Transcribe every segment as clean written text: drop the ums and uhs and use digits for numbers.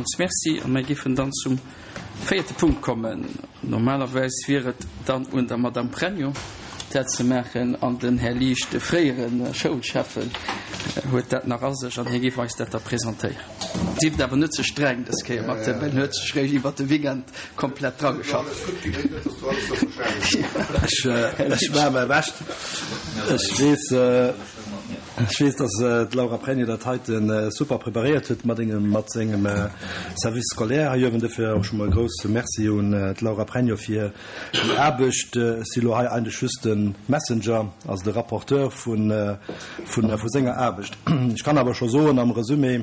Villmools Merci a mir géifen dann zum véierte Punkt kommen. Normalerweis wier et dann un der Madame Pregno, dat ze maachen, an den Här Liesch, de fréiere Schoulschäffen, huet dat nach a sech an hie géif eis dat da presentéieren. Sift awer net ze streng dës Kéier mat him, en huet sech réischt iwwert de Weekend komplett drageschafft. Ech maache mäi Bescht. Ech weess, Ech weess, dass d'Laura Pregno dat heite super preparéiert huet mat engem, mat sengem Service scolaire hei uewen. Dofir och scho mol e grousse Merci un d'Laura Pregno fir déi Aarbecht. Ech si lo hei eigentlech just de Messenger, also de Rapporteur vu, vu senger Aarbecht. Ech kann awer scho soen am Resumé,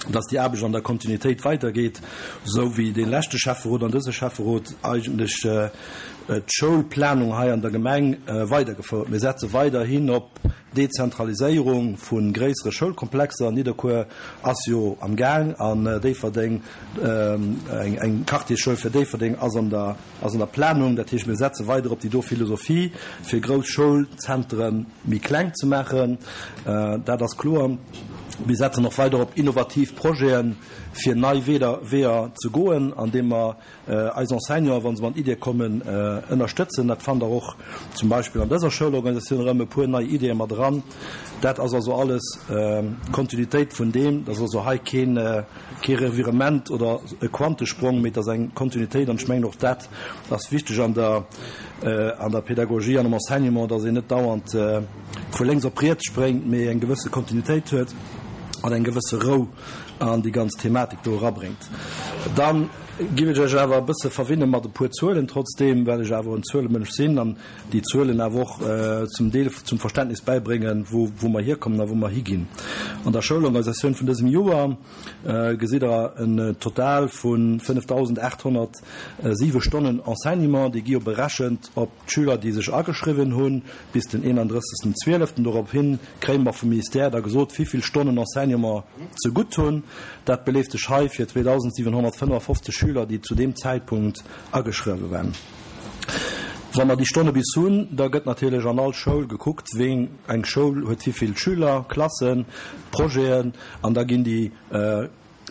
dass déi Aarbecht an der Kontinuitéit weidergeet, esou wéi dee leschte Schäfferot an dëse Schäfferot eigentlech d'Schoulplanung hei an der Gemeng weidergefouert. Mir setze weiderhin op Dezentraliséierung vu gréissere Schoulkomplexer. Nidderkuer ass jo am Gaang an Déifferdeng, eng Quartiersschoul fir Déifferdeng ass an der ass an der Planung. Dat heescht, mir setze weider op déi do Philosophie, fir grouss Schoulzentere méi kleng ze maachen. Dat ass kloer. Mir setzen och weider op innovativ Projeten, fir nei Weeër ze goen, andeem mer eis Enseignanten, wa se mat Iddie kommen, ënnerstëtzen. Dat fannt Der och zum Beispill an dëser Schoulorganisatioun erëm e puer nei Iddie mat eran. Dat ass also alles Kontinuitéit vun deem. Dat ass also hei keen Kee Revirement oder e Quantesprong, mee et ass eng Kontinuitéit. An ech mengen, och dat ass wichteg an der, an der Pedagogie an am Enseignement, dass een net dauernd vu lénks op riets spréngt, mee eng gewësse Kontinuitéit huet an eng gewësse Rou an déi ganz Thematik do erabréngt. Da géif ech Iech awer e bësse verwinne mat e puer Zuelen trotzdeem, well ech awer en Zuelemënsch sinn an déi Zuelen awer och zum Deel zum Verständnis bäibréngen, wou wou mer hierkommen a wou mer higinn. An der Schoulorganisatioun vun dësem Joer gesitt Der en Total vu 5.807 Stonnen Enseignement, déi gi jo berechent op d'Schüler, déi sech ageschriwwen hu bis den 31. 12. Dorophin kréie mer vum Ministère da gesot, wivill Stonnen Enseignement ze gutt hunn. Dat beleeft sech hei fir 2.755 Schüler, déi zu deem Zäitpunkt ageschriwwe waren. Wa mer déi Stonne bis hunn, da gëtt natierlech an all Schoul gekuckt, wéi eng Schoul huet wivill Schüler, Klassen, Projeten, an da ginn déi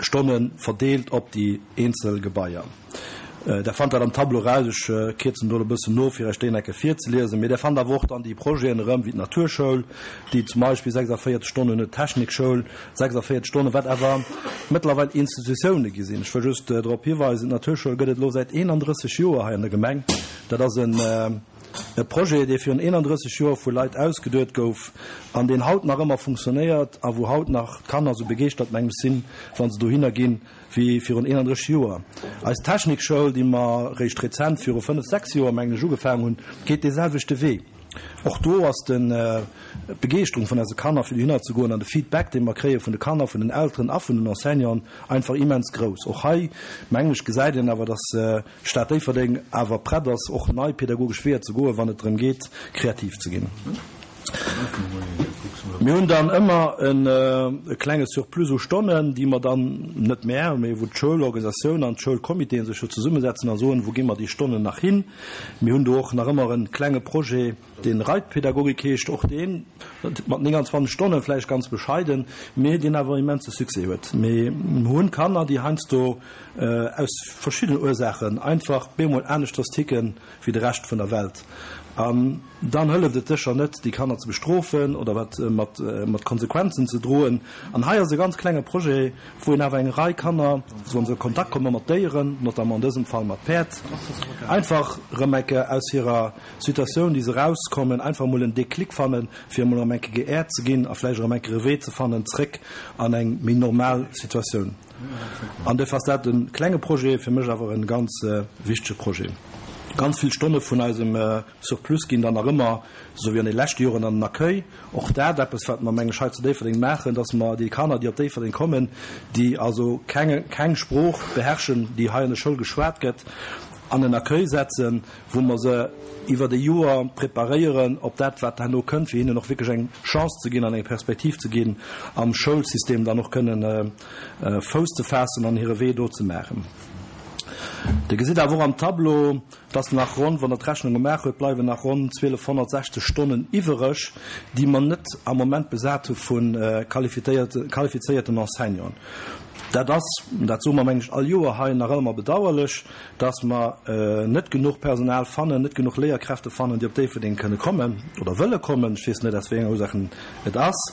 Stonne verdeelt op déi eenzel Gebaier. Der fannt dat am Tableau eraus. Ech kierzen do elo e bëssen no, fir Iech déi enke virzeliesen. Mee Der fannt awer och dann déi Projeten erëm, wéi d'Naturschoul, déi zum Beispill 46 Stonnen huet, d'Technikschoul 46 Stonnen, wat awer mëttlerweil Institutioune gi sinn. Ech wëll just drop hiweisen, d'Naturschoul gëtt et elo säit 31 Joer hei an der Gemeng. Dat ass e Projet, dee virun 31 Joer vu Leit ausgeduet gouf an deen haut nach ëmmer funktionéiert a wou haut nach d'Kanner esou begeeschtert, mengem ech, sinn, wa se dohinner ginn, wéi virun 31 Joer. Eis Technikschoul, déi mer réischt rezent, viru fënnef, sechs Joer, mengen ech, ugefaangen hunn, geet dee selwechte Wee. Och do ass d'Begeeschterung vun eise Kanner, fir dohinner ze goen, an de Feedback, dee mer kréie vun de Kanner, vun den Elteren a vun den Enseignanten, einfach immens grouss. Och hei, mengen ech, gesäit een awer, dass d'Stad Déifferdeng awer prett ass, och nei pedagogesch Weeër ze goen, wann et drëm geet, kreativ ze ginn. Mir hunn dann ëmmer e klenge Surplus u Stonnen, déi mer dann, net mär, mee wou d'Schoulorganisatioun an d'Schoulcomitéen sech jo zesummesetzen a soen, wou gi mer déi Stonnen nach hin. Mir hunn do och nach ëmmer e klenge Projet, dee Reitpädagogik heescht, och deen mat 29 Stonnen, vläicht ganz bescheiden, mee deen awer immense Succès huet. Mir hunn Kanner, déi heiansdo aus verschiddenen Ursaachen einfach bemol aneschters ticken wéi de Rescht vun der Welt. An dann hëlleft et sécher net, déi Kanner ze bestrofen oder wat mat Konsequenzen ze droen. An hei ass e ganz klenge Projet, wou een awer eng Rei Kanner, wa se a Kontakt komme mat Déieren, notamment an dësem Fall mat Päerd, einfach erëm eng Kéier aus hirer Situatioun, déi se erauskommen, einfach emol en Déclic fannen, fir emol erëm eng Kéier geäert ze ginn a vläicht erëm eng Kéier e Wee ze fannen zréck an eng méi normal Situatioun. An duerfir ass dat e klenge Projet, fir mech awer e ganz wichtege Projet. Ganz vill Stonne vun eisem Surplus ginn dann nach ëmmer, esou wéi an de leschte Joren, an den Accueil. Och dat eppes, wat mer, meng ech, hei zu Déifferdeng maachen, dass mer déi Kanner, déi op Déifferdeng kommen, déi also keng, keng Sprooch beherrschen, déi hei an der Schoul geschwat gëtt, an en Accueil setzen, wou mer se iwwert e Joer preparéieren op dat, wat herno kënnt, fir hinnen och wierklech eng Chance ze ginn an eng Perspektiv ze ginn, am Schoulsystem dann och kënnen Fouss ze faassen an hire Wee do ze maachen. Dir gesitt awer och am Tableau, dass nach ronn, wann Der d'Rechnung gemaach huet, bleiwen nach ronn 1.260 Stonnen iwwereg, déi mer net am Moment besat hu vu qualifizéierten Enseignanten. Dat ass, dat soe mer, mengen ech, all Joer hei, nach ëmmer bedauerlech, dass mer net genuch Personal fannen, net genuch Léierkräfte fannen, déi op Déifferdeng kënne kommen oder wëlle kommen. Ech weess net, aus wéi enger Ursaachen et ass.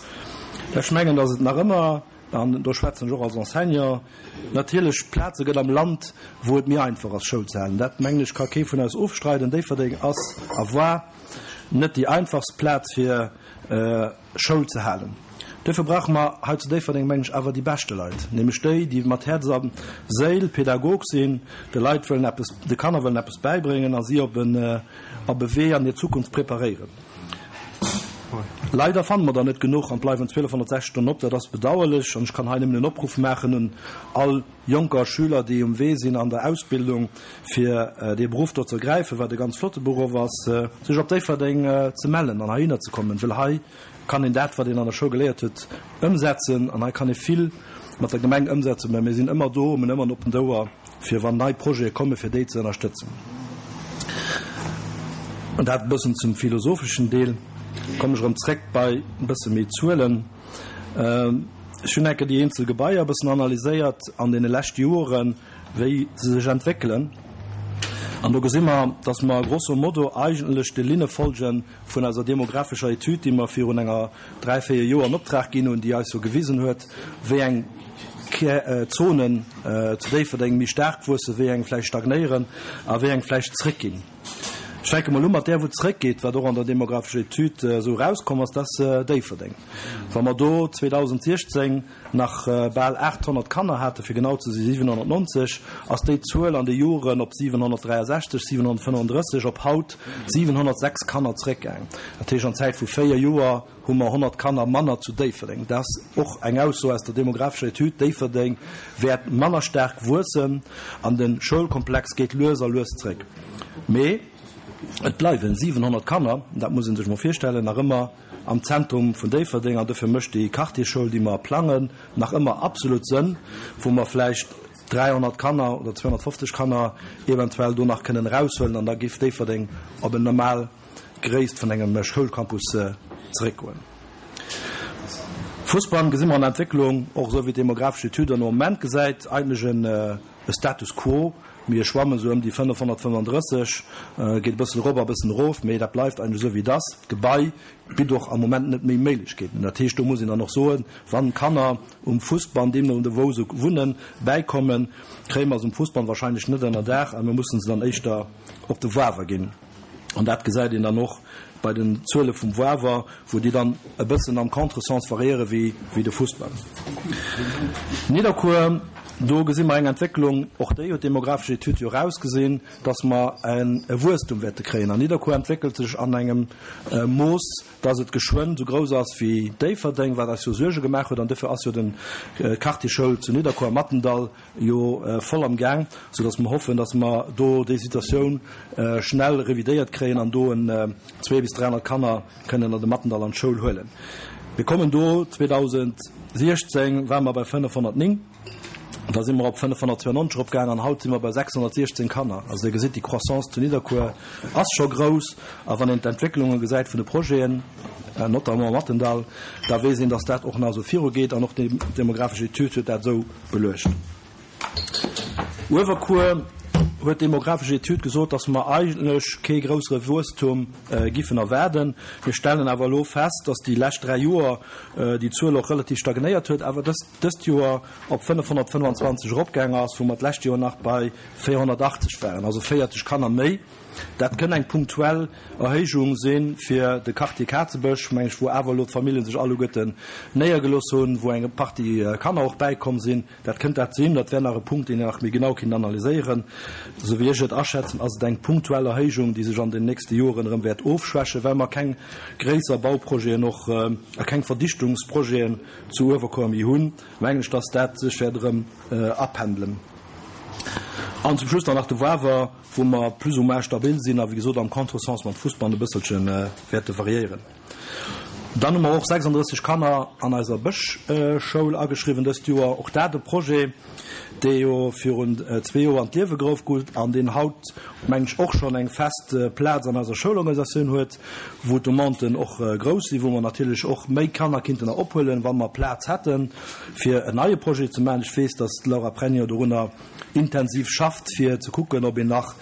Ech mengen, dass et nach ëmmer, an do schwätzen ech och als Enseignant, natierlech Plaze gëtt am Land, wou et méi einfach ass, Schoul ze halen. Dat, mengen ech, ka kee vun eis ofstreiden. Déifferdeng ass a war net déi einfachst Plaz, fir Schoul ze halen. Duerfir brauche mer hei zu Déifferdeng, mengen ech, awer déi beschte Leit, nämlech déi, déi mat Häerz a Séil Pädagog sinn, de Leit wëllen eppes, de Kanner wëllen eppes bäibréngen a si op en, op e Wee an hir Zukunft preparéieren. Leider fanne mer der net genuch an et bleiwen 1260 Stonnen op. Dat ass bedauerlech an ech kann hei nëmmen en Opruff maachen un all Jonker, Schüler, déi um Wee sinn an der Ausbildung, fir dee Beruff do ze ergräifen, wat e ganz flotte Beruff ass, sech op Déifferdeng ze mellen an heihinner ze kommen, well hei kann een dat, wat een an der Schoul geléiert huet, ëmsetzen an hei kann ee vill mat der Gemeng ëmsetzen, mä mir sinn ëmmer do, mir hunn ëmmer en oppent Ouer, fir wann nei Projete kommen, fir déi ze ënnerstëtzen. An dat e bëssen zum philosopheschen Deel. Kommen ech erëm zréck bei e bësse méi Zuelen. Ech hunn enke déi eenzel Gebaier e bëssen analyséiert an deene leschte Joren, wéi se sech entwéckelen. An do gesi mer, dass mer grosso modo eigentlech de Linne folge vun eiser demographescher Etüd, déi mer virun enger dräi, véier Joer an Optrag ginn hunn, déi eis jo gewisen huet, wéi eng Zonen zu Déifferdeng méi staark wuessen, wéi eng vläicht stagnéieren a wéi eng vläicht zréckginn. Ech fänke mol u mat där, wou zeréckgeet, wat och an der demographescher Etüd esou erauskomm ass, dat ass Déifferdeng. Wa mer do 2016 nach bal 800 Kanner haten, fir genau ze si 790, ass déi Zuel an de Joren op 763, 735, op haut 706 Kanner zeréckgaangen. Dat heescht, an Zäit vu véier Joer hu mer 100 Kanner manner zu Déifferdeng. Dat ass och eng Ausso aus der demographescher Etüd. Déifferdeng wäert manner staark wuessen an de Schoulkomplex geet lues a lues zréck. Mee et bleiwen 700 Kanner, dat muss ee sech mol virstellen, nach ëmmer am Zentrum vun Déifferdeng. An dofir mécht déi Quartierschoul, déi mer plangen, nach ëmmer absolut Sënn, wou mer vläicht 300 Kanner oder 250 Kanner eventuell do nach kënnen eraushuelen an da géif Déifferdeng op en normal Gréisst vun engem Schoulcampus zeréckgoen. Fussball gesi mer an Entwécklung, och esou wéi d'demographesch Etüd an Moment gesäit, eigentlech e Status quo. Mir schwammen esou ëm déi 535, geet e bëssen erop a e bëssen erof, mee dat bleift eigentlech esou wéi et ass. D'Gebai bitt och am Moment net méi Méiglechkeeten. Dat heescht, do muss een dann och soen, wann Kanner um Fussball, deemno wou se wunnen, bäikommen, kréie mer se um Fussball wahrscheinlech net ënnerdaach a mir mussen se dann éischter op de Wawer ginn. An dat gesäit een dann och bei den Zuele vum Wawer, wou déi dann e bëssen am Contresens variéiere wéi de Fussball. Nidderkuer, do gesi mer eng Entwécklung, och déi huet d'demographesch Etüd jo erausgesinn, dass mer e Wuesstum wäerte kréien. An Nidderkuer entwéckelt sech an engem Mooss, dass et geschwënn esou grouss ass wéi Déifferdeng, wat eis jo Suerge gemaach huet. An dofir ass jo den Quartierschoul zu Nidderkuer am Mattendall jo voll am Gaang, sou dass mer hoffen, dass mer do déi Situatioun schnell revidéiert kréien an do en 200 bis 300 Kanner kënnen an de Mattendall an d'Schoul huelen. Mir kommen do, 2016 ware mer bei 509, da si mer op 592 eropgaang an haut si mer bei 616 Kanner. Also Dir gesitt, déi Croissance zu Nidderkuer ass scho grouss a wann een d'Entwécklunge gesäit vun de Projeten, notamment am Mattendall, da weess een, dass dat och nach esou virugeet an och déi demographesch Etüd huet dat esou Beluecht. Uewerkuer huet d'demographesch Etüd gesot, dass mer eigentlech kee groussere Wuesstum giffen erwaarden. Mir stellen awer elo fest, dass déi lescht 3 Joer déi Zuel och relativ stagnéiert huet, awer dëst dëst Joer op 525 eropgaang ass, wou mer d'lescht Joer nach bei 480 waren, also 40 Kanner méi. Dat kënn eng punktuell Erhéijung si fir de Quartier Kazebësch, meng ech, wou awer elo d'Famillje sech alleguerten néiergelooss hunn, wou eng Partie Kanner och bäikomm sinn. Dat kënnt dat sinn. Dat wär nach e Punkt, deen een nach méi genau kinnt analyséieren. Esou wéi ech et aschätzen, ass et eng punktuell Erhéijung, déi sech an den nächste Joren erëm wäert ofschwächen, well mer keng gréisser Bauprojeten och a keng Verdichtungsprojeten zu Uewerkuer méi hunn, mengen ech, dass dat sech wäert erëm apendelen. An zum Schluss dann nach de Wawer. wou mer plus ou moins stabil sinn a wéi gesot am Contresens mam Fussball e bësselche wäerte variéieren. Dann hu mer och 36 Kanner an eiser Bëschschoul ageschriwwen dëst Joer. Och dat e Projet. Dee jo virun zwee Joer an d'Liewe geruff gouf an deen haut, mengen ech, och schonn eng fest Plaz an eiser Schoulorganisatioun huet, wou d'Demanden och grouss sinn, wou mer natierlech och méi Kanner kinnten nach ophuelen, wa mer Plaz hätten, fir en neie Projet ze maachen. Ech weess, dass d'Laura Pregno dorunner intensiv schafft, fir ze kucken, ob een nach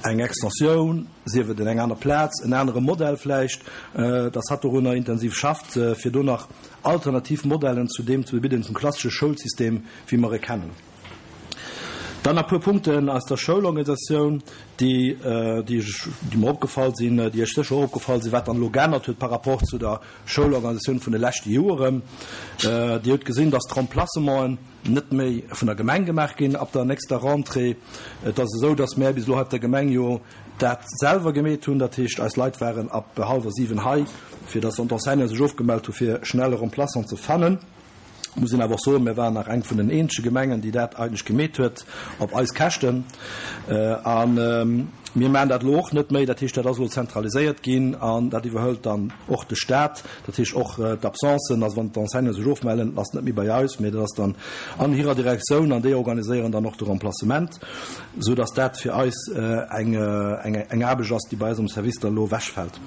eng Extensioun, sief et en eng aner Plaz, en anere Modell vläicht, dass hatt dorunner intensiv schafft, fir do nach alternativ Modellen zu deem ze bidden, zum klassesche Schoulsystem, wéi mer e kennen. Dann nach e puer Punkten aus der Schoulorganisatioun, déi, déi ech, déi mer opgefall sinn, déi Iech sécher och opgefall sinn, wat dann elo geännert huet par rapport zu der Schoulorganisatioun vun de leschte Joeren. Dir hutt gesinn, dass d'Remplacementen net méi vun der Gemeng gemaach ginn ab der nächster Rentrée. Et ass esou, dass mär bis elo hei op der Gemeng jo dat selwer gemeet hunn. Dat heescht, eis Leit waren ab hallwer 7 hei, fir dass dann d'Enseignanten sech ofgemellt hu fir schnell e Remplaçant ze fannen. Muss een awer och soen, mir waren nach eng vun den eenzege Gemengen, déi dat eigentlech gemeet huet op eis Käschten. A mir maachen dat elo och net méi. Dat heescht, dat ass elo zentraliséiert ginn an dat iwwerhëlt dann och de Stat. Dat heescht och d'Absencen, also wann d'Enseignanten sech ofmellen, ass net méi bei eis, mee dat ass dann an hirer Direktioun an déi organiséieren dann och de Remplacement, esou dass dat fir eis eng eng Aarbecht ass, déi bei eis am Service dann elo ewechfält.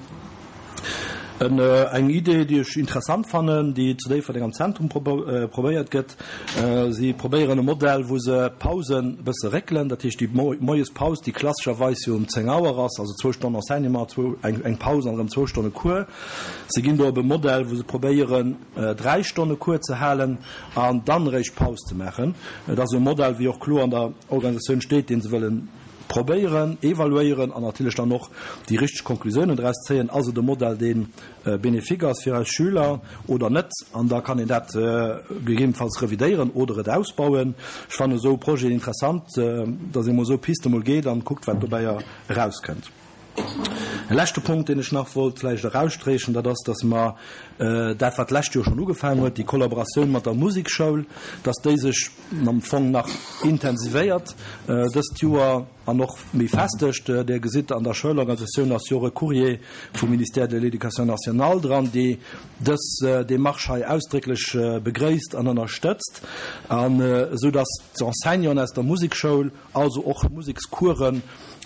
Eng Idee, déi ech interessant fannen, déi zu Déifferdeng am Zentrum probéiert gëtt, Si probéieren e Modell, wou se d'Pausen e bësse réckelen, dat heescht déi Moiespaus, déi klassescherweis jo um 10 Auer ass, also zwou Stonnen Enseignement, eng Paus an erëm zwou Stonne Cours. Se ginn do op e Modell, wou se probéieren, 3 Stonne Cours ze halen an dann eréischt Paus ze maachen. Et ass e Modell, wéi och kloer an der Organisatioun steet, dee se wëllen probéieren, evaluéieren an natierlech dann och déi richteg Konklusiounen draus zéien. Ass et e Modell, dee bénéfique ass fir eis Schüler oder net? An da kann een dat gegebenenfalls revidéieren oder et ausbauen. Ech fannen esou Projeten interessant, dass ee mol esou Piste mol geet an kuckt, wat dobäi erauskënnt. E leschte Punkt, deen ech nach wollt vläicht eraussträchen, dat ass, dass mer dat, wat d'lescht Joer schonn ugefaangen huet, déi Kollaboratioun mat der Musekschoul, dass déi sech am Fong nach intensivéiert dëst Joer an och méi festegt. Dir gesitt, an der Schoulorganisatioun ass jo och e Courrier vum Ministère de l'Éducation nationale dran, dee dës Démarche hei ausdrécklech begréisst an ënnerstëtzt, an esou dass d'Enseignanten aus der Musekschoul also och Musekscoursen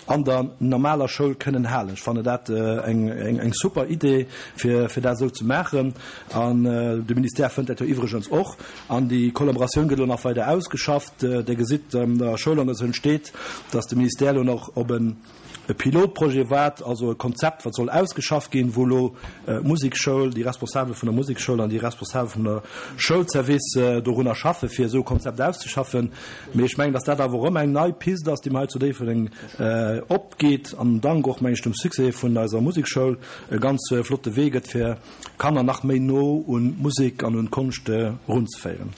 an der normaler Schoul kënnen halen. Ech fannen dat eng super Idee, fir dat esou ze maachen. An de Ministère fënnt dat jo iwwregens och. An déi Kollaboratioun gëtt elo nach weider ausgeschafft. Dir gesitt, an der Schoulorganisatioun steet, dass de Ministère elo nach op e Pilotprojet waart, also e Konzept, wat soll ausgeschafft ginn, wou elo d'Musekschoul, déi Responsabel vun der Musekschoul an déi Responsabel vum der Schoulservice dorunner schaffen, fir esou e Konzept auszeschaffen. Mee ech mengen, dass dat awer erëm eng nei Pist ass, déi mer hei zu Déifferdeng opgeet an dank och, meng ech, dem Succès vun eiser Musekschoul e ganz flotte Wee gëtt, fir Kanner nach méi no un d'Musek an un d'Konscht erunzeféieren.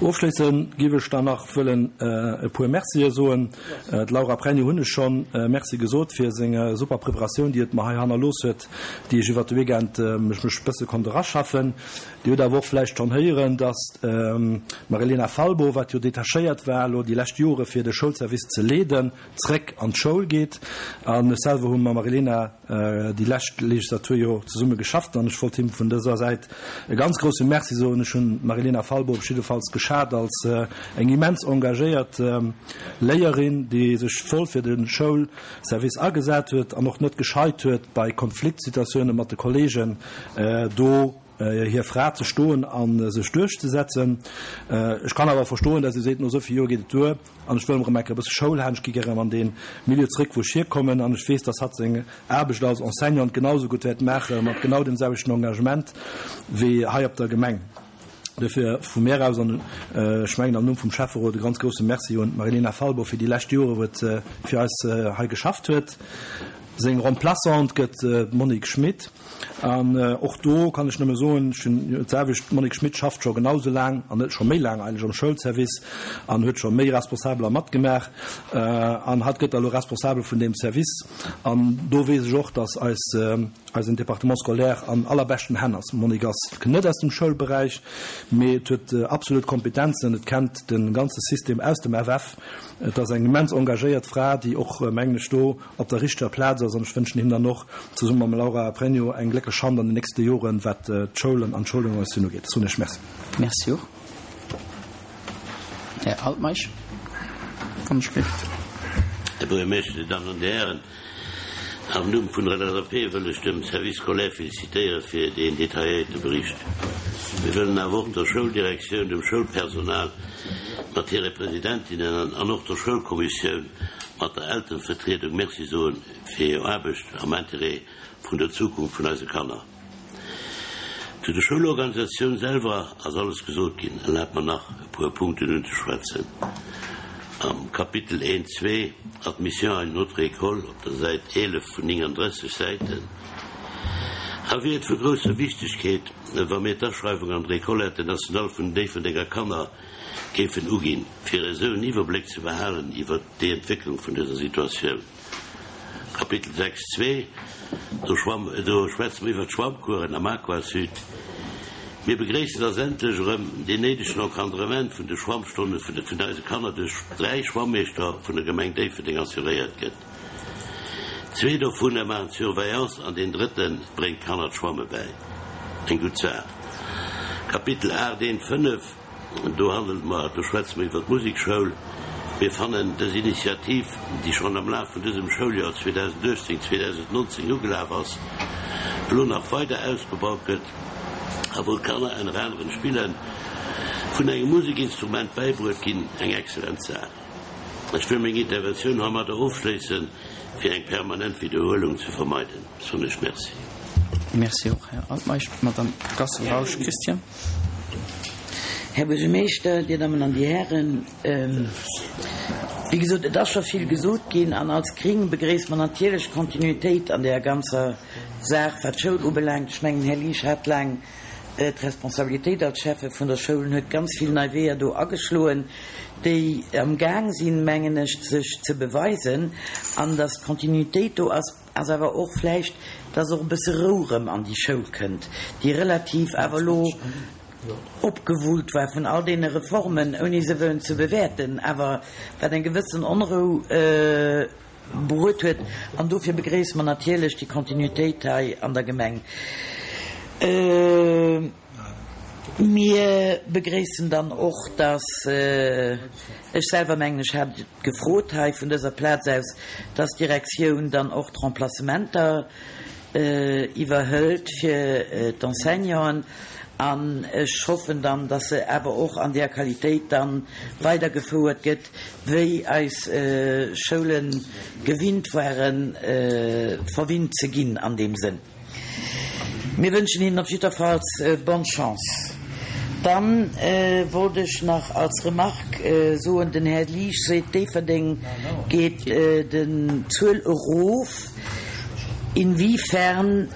Ofschléisse géif ech dann nach wëllen e puer Mercië soen. D'Laura Pregno hunn ech schonn Merci gesot fir seng super Preparatioun, déi et mer hei hannerlooss huet, déi ech iwwert de Weekend ech mech e bësse konnt eraschaffen. Dir hutt awer och vläicht schonn héieren, dass d'Marilena Falbo, wat jo detachéiert war elo déi lescht Jore fir de Schoulservice ze leeden, zréck an d'Schoul geet. An ech selwer hu mam Marilena déi lescht Legislatur jo zesumme geschafft an ech wollt him vun dëser Säit e ganz grousse Merci soen. Ech hunn d'Marilena Falbo op jiddefalls geschat als eng immens engagéiert Léierin, déi sech voll fir de Schoulservice agesat huet an och net gescheit huet, bei Konfliktsituatioune mat de Kollegen do hir Fra ze stoen a sech duerchzesetzen. Ech kann awer verstoen, dass ee seet, no esou vill Joer geet et duer an ech wëll erëm eng Kéier e bësse Schoul halen, ech gi gär erëm an dee Milieu zréck, wou ech hierkommen an ech weess, dass hatt seng Aarbecht als Enseignante genau esou gutt wäert maache mat genau deem selwechten Engagement wéi hei op der Gemeng. Duerfir vu mär aus an ech mengen am Numm vum Schäfferot e ganz grousse Merci un d'Marilena Falbo fir déi lescht Jore wou et fir eis hei geschafft huet. Seng Remplaçante gëtt d'Monique Schmit. An och do kann ech nëmme soen, ech hunn jo d'selwecht, d'Monique Schmit schafft scho genau esou laang an net scho méi laang eigentlech am Schoulservice an huet scho méi Responsabeler matgemaach an hatt gëtt da elo Responsabel vun deem Service. An do weess ech och, datt eis, eisen Département scolaire an allerbeschten Hänn ass. D'Monique ass net aus dem Schoulberäich, mee et huet absolut Kompetenzen, et kennt de ganze System aus dem FF. Et ass eng immens engagéiert Fra, déi och, mengen ech, do op der richteger Plaz ass an ech wënschen him dann och zesumme mam Laura Pregno eng glécklech Hand an den nächste Joren, wat d'Schoulen an d'Schoulorganisatioun ugeet. Ech soen Iech Merci. Merci och. Här Altmeisch, wann ech géif. Här Buergermeeschter, Dir Dammen an Dir Hären, am Numm vun der LSAP wëll ech dem Service scolaire félicitéiere fir deen detailléierte Bericht. Mir wëllen awer och der Schouldirektioun, dem Schoulpersonal mat hire Presidentinnen an och der Schoulkommissioun mat der Elterevertriedung Merci soen fir hir Aarbecht am Intérêt vun der Zukunft vun eise Kanner. Zu der Schoulorganisatioun selwer ass alles gesot ginn. Erlaabt mer nach e puer Punkten unzeschwätzen. Am Kapitel 1.2, Admission à une autre école, op der Säit 11 vun 39 Säiten, hei wier et vu grousser Wichtegkeet, wa mir d'Aschreiwung an der École internationale vun den Déifferdenger Kanner géifen uginn, fir esou en Iwwerbléck ze behalen iwwert déi Entwécklung vun dëser Situatioun. Kapitel 6, 2, do schwamm, do schwätze mer iwwert d'Schwammcoursen am Aquasud. Mir begréissen, dass endlech erëm deen néidegen Encadrement vun de Schwammstonne vun de vun eise Kanner duerch 3 Schwammeeschter vun der Gemeng Déifferdeng assuréiert gëtt. Zwee dovunner maachen d'Surveillance an deen drëtte bréngt d'Kanner d'Schwamme bäi. Eng gutt Saach. Kapitel 8, 1, 5. Do handelt mer, do schwätze mer iwwer d'Musekschoul. Mir fannen dës Initiativ, déi schonn am Laf vun dësem Schouljoer 2018, 2019 ugelaf ass, elo nach weider ausgebaut gëtt a wou d'Kanner ënner anerem d'Spille vun engem Musekinstrument bäibruet ginn, eng excellent Saach. Ech wëll meng Interventioun heimadder ofschléissen, fir eng permanent Widderhuelung ze vermeiden, soen ech Merci. Merci och, Här Altmeisch. D'Madame Gassel-Rausch Christian. Här Buergermeeschter, Dir Dammen an Dir Hären, wéi gesot, et ass scho vill gesot ginn an als Gring begréisse mer natierlech d'Kontinuitéit an där ganzer Saach, wat d'Schoul ubelaangt. Ech mengen, Här Liesch hat laang d'Responsabilitéit als Schäffe vun der Schoul en huet ganz vill nei Weeër do ageschloen, déi am Gaang sinn, mengen ech, sech ze beweisen. An datt d'Kontinuitéit do ass, Ass awer och vläicht, dass och e bësse Rou rëm an déi Schoul kënnt, déi relativ awer elo opgewullt war vun all deene Reformen, ouni se wëllen ze bewäerten, awer wat eng gewëssen Onrou bruet huet. An dofir begréisse mer natierlech déi Kontinuitéit hei an der Gemeng. Mir begréissen dann och, dass, ech selwer mengen, ech hat et gefrot hei vun dëser Plaz aus, dass d'Direktioun dann och d'Remplacementer iwwerhëlt fir d'Enseignanten. An ech hoffen dann, dass se awer och an där Qualitéit da weidergefouert gëtt, wéi eis Schoule gewinnt waren, verwinnt ze ginn an deem Sënn. Mir wënschen hinnen op jiddwerfalls bonne chance. Dann wollt ech nach als Remarque soen, den Här Liesch seet, Déifferdeng geet den Zuel erof. Inwiefern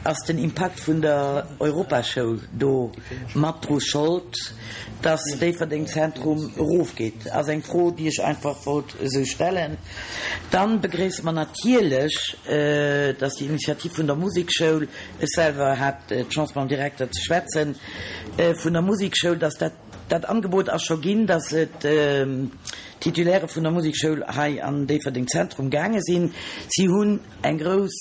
ass den Impakt vun der Europaschoul do mat dru Schold, dass Déifferdeng Zentrum erofgeet? Ass eng Fro, déi ech einfach wollt esou stellen. Dann begréisse mer natierlech, dass déi Initiativ vun der Musekschoul, ech selwer hat d'Chance mam Direkter ze schwätzen, vun der Musekschoul, dass dat, dat Angebot ass scho ginn, dass et d'Titulaire vun der Musekschoul hei an Déifferdeng Zentrum gaange sinn. Si hunn Eng grouss,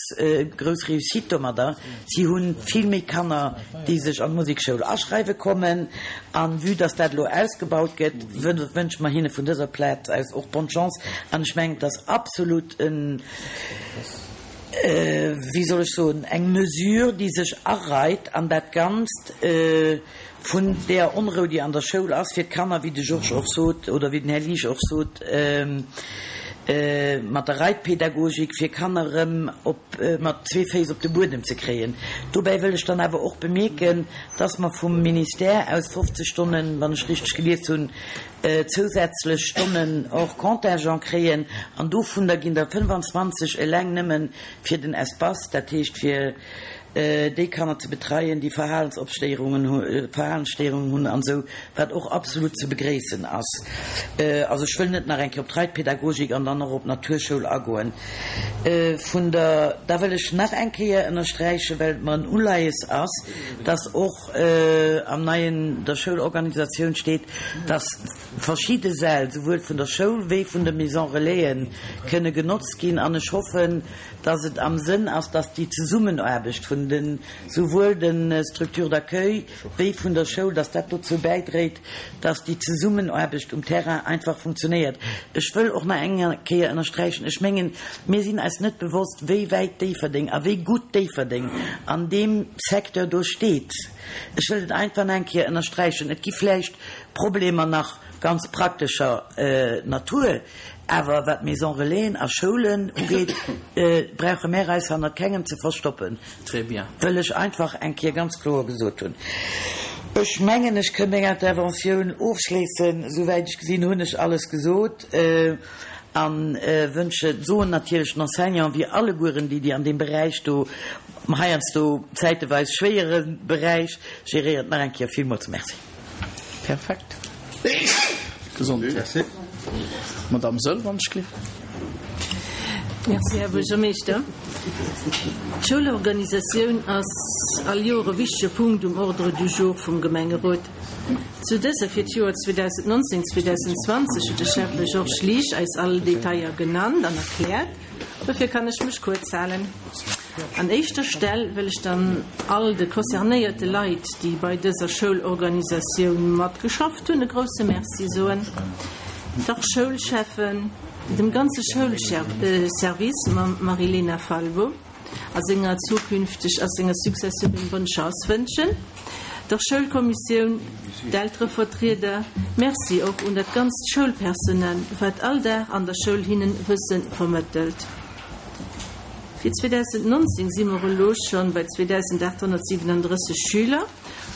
grouss Réussite domadder. Si hu vill méi Kanner, déi sech an d'Musekschoul aschreiwe kommen. A vue dass dat elo ausgebaut gëtt, wënsche mer hinne vun dëser Plaz aus och bonne chance. An ech mengen, et ass absolut en, wéi soll ech soen, eng Mesure, déi sech areit an dat Ganzt, Vun deeër Onrou, déi an der Schoul ass, fir d'Kanner, wéi de Georges och sot, oder wéi den Här Liesch och sot, mat der Reitpädagogik, fir Kanner erëm op, mat zwee Féiss op de Buedem ze kréien. Dobäi wëll ech dann awer och bemierken, dass mer vum Ministère aus 50 Stonnen, wann ech richteg gelies hunn, zousätzlech Stonnen hors contingent kréien, an dovunner ginn der 25 eleng nëmme fir den Espace, dat heescht fir déi Kanner ze betreien, déi Verhalensopstéierungen hu, Verhalensstéierungen hunn an esou, wat och absolut ze begréissen ass. Also ech wëll net nach eng Kéier op d'Reitpädagogik an dann och op d'Naturschoul agoen. Vun der, da wëll ech nach eng Kéier ënnersträichen, well et mer en Uleies ass, dass och am neien der Schoulorganisatioun steet, dass verschidde Säll, souwuel vun der Schoul wéi vun de Maison Relaisen, kënne genotzt ginn an ech hoffen, dass et am Sënn ass, dass déi Zesummenaarbecht vun. vun de souwuel de Structures d'accueil wéi vun der Schoul, dass dat dozou bäidréit, dass déi Zesummenaarbecht um Terrain einfach funktionéiert. Ech wëll och nach eng Kéier ënnersträichen, ech mengen, mir sinn eis net bewosst, wéi wäit Déifferdeng a wéi gutt Déifferdeng an deem Secteur do steet. Ech wëll et einfach nach eng Kéier ënnersträichen. Et gi vläicht Problemer nach ganz praktescher Natur, awer wat Maisons Relaisen a Schoulen ugeet, brauche mär eis hannert kengem ze verstoppen. Très bien. Wëll ech einfach eng Kéier ganz kloer gesot hunn. Ech mengen, ech kënn meng Interventioun ofschléissen. Souwäit ech gesinn, hunn ech alles gesot a wënsche, soen natierlech den Enseignanten, wéi allegueren déi, déi an deem Beräich do, heiansdo zäiteweis schwéiere Beräich, géréiert, nach eng Kéier villmools Merci. Perfekt. Gesondheet. Madamm Soll, wann ech gleef. Merci, Här Buergermeeschter. D'Schoulorganisatioun ass all Joer e wichtege Punkt um Ordre du jour vum Gemengerot. Zu dëser fir d'Joer 2019, 2020 huet de Schäffe Georges Liesch eis all Detailler genannt an erkläert. Dofir kann ech mech kuerz halen. An éischter Stell wëll ech dann all de concernéierte Leit, déi bei dëser Schoulorganisatioun matgeschafft hunn, e grousse Merci soen. Der Schoulschäffen, dem ganze Schoulservice mam Marilena Falbo a senger zukünfteg a senger Successeurin bonne Chance wënschen, der Schoulkommissioun, d'Elterevertrieder, Merci och un dat ganzt Schoulpersonal, wat all Dag an der Schoul hinnen Wësse vermëttelt. Fir 2019 si mer elo schonn bei 2.837 Schüler,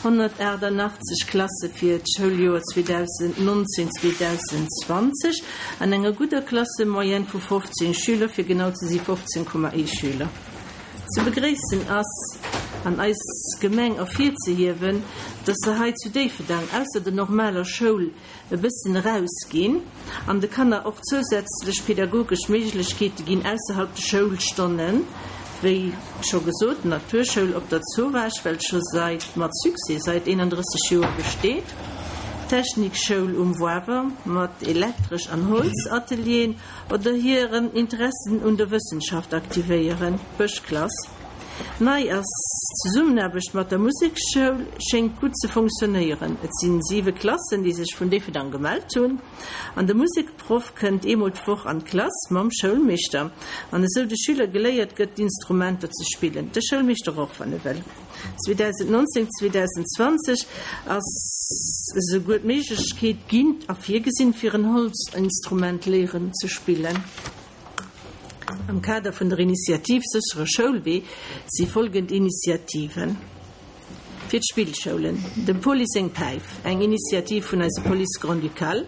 188 Klasse fir d'Schouljoer 2019, 2020 an enger gudder Klassemoyenne vu 15 Schüler, fir genau ze si 15,1 Schüler. Ze begréissen ass an eis Gemeng ervirzehiewen, dass se hei zu Déifferdang ausser der normaler Schoul e bëssen erausginn an de Kanner och zousätzlech pedagogesch Méiglechkeete ginn ausserhalb de Schoulstonnen, wéi scho gesot, d'Naturschoul op der Zowaasch, well scho seit mat Succès seit 31 Joer besteet, d'Technikschoul um Woawer mat Elektresch an Holzatelieren oder hiren Interessen un der Wëssenschaft aktivéieren, d'Bëschklass. Nei ass, D'Zesummenaarbecht mat der Museksschoul schéngt gutt ze funktionéieren. Et sinn siwe Klassen, déi sech vun Déifferdang gemellt hunn. An de Musekproff kënnt eemol d'Woch an d'Klass mam Schoulmeeschter. An esou de Schüler geléiert gëtt, d'Instrumenter ze spillen. De Schoulmeeschter och, wann e wëll. 2019, 2020 ass esouguer d'Méiglechkeet ginn a virgesinn, fir en Holzinstrument léieren ze spillen. Am Kader vun der Initiativ Séchere Schoulwee si folgend Initiativen fir d'Spillschoulen, Dem Police seng Päif, eng Initiativ vun eiser Police Grand-Ducale,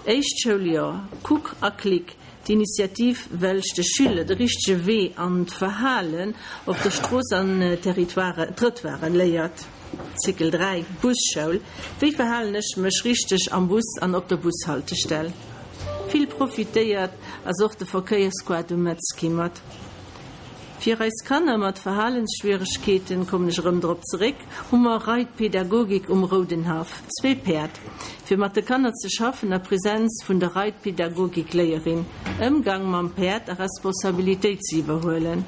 Éischt Schouljoer, Kuck a Klick, d'Initiativ welch de Schüler de richtege Wee an d'Verhalen op der Strooss an Trëttoiren léiert, Cycle 3, Busschoul, Wéi verhalen ech mech richteg am Bus an op der Bushaltestell? Vill profitéiert ass och de Verkéiersquad um Metzki mat. Fir eis Kanner mat Verhalensschwieregkeeten, kommen ech erëm drop zeréck, hu mer Reitpedagogik um Roudenhaff, zwee Päerd, fir mat de Kanner ze schaffen a Präsenz vun der Reitpedagogikléierin, Ëmgang mam Päerd a Responsabilitéit ze iwwerhuelen.